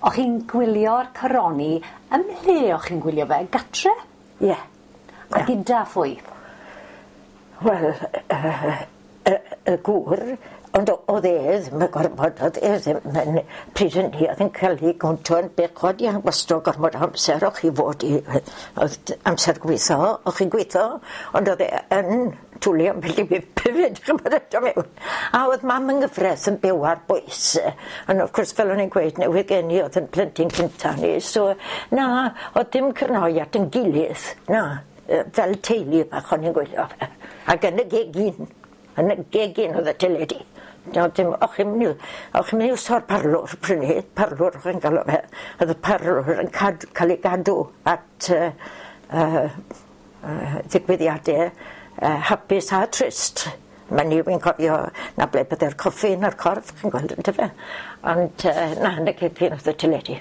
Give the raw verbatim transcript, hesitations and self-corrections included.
O'ch chi'n gwylio'r coroni, ym mhle o'ch chi'n gwylio fe? Gatre? Ie. Yeah. A gyda phwy? Wel, yy y y gŵr, ond o- o'dd e ddim yn gorfod, o'dd e ddim yn pryd hynny o'dd yn ca'l 'i gwntw yn bechod i wastro gormod o amser o'ch chi fod i o'dd d- amser gwitho, o'ch chi'n gwitho, ond o'dd e yn twli ambell i bip hefyd ch'mod a do' mewn. A o'dd mam yng ngyfreth yn byw ar bwys ond wrth gwrs fel o'n i'n gweud newydd geni o'dd 'yn plentyn cynta ni so na o'dd dim cyrnoi at 'yn gilydd na yy fel teulu bach o'n i'n gwylio fe ag yn y gegin. Yn y gegin o'dd y teledu. Do'dd dim o'ch chi'n myn' i o'ch chi'n myn' i iwso'r parlwr pryd 'ny, parlwr o'ch chi'n galw fe. O'dd y parlwr yn cad- ca'l ei gadw at yy yy yy ddigwyddiade yy hapus a trist. Ma' ni wi'n cofio 'na ble bydde'r coffi na'r corff chi'n gweld yndyfe? Ond yy na yn y gegin o'dd y teledu.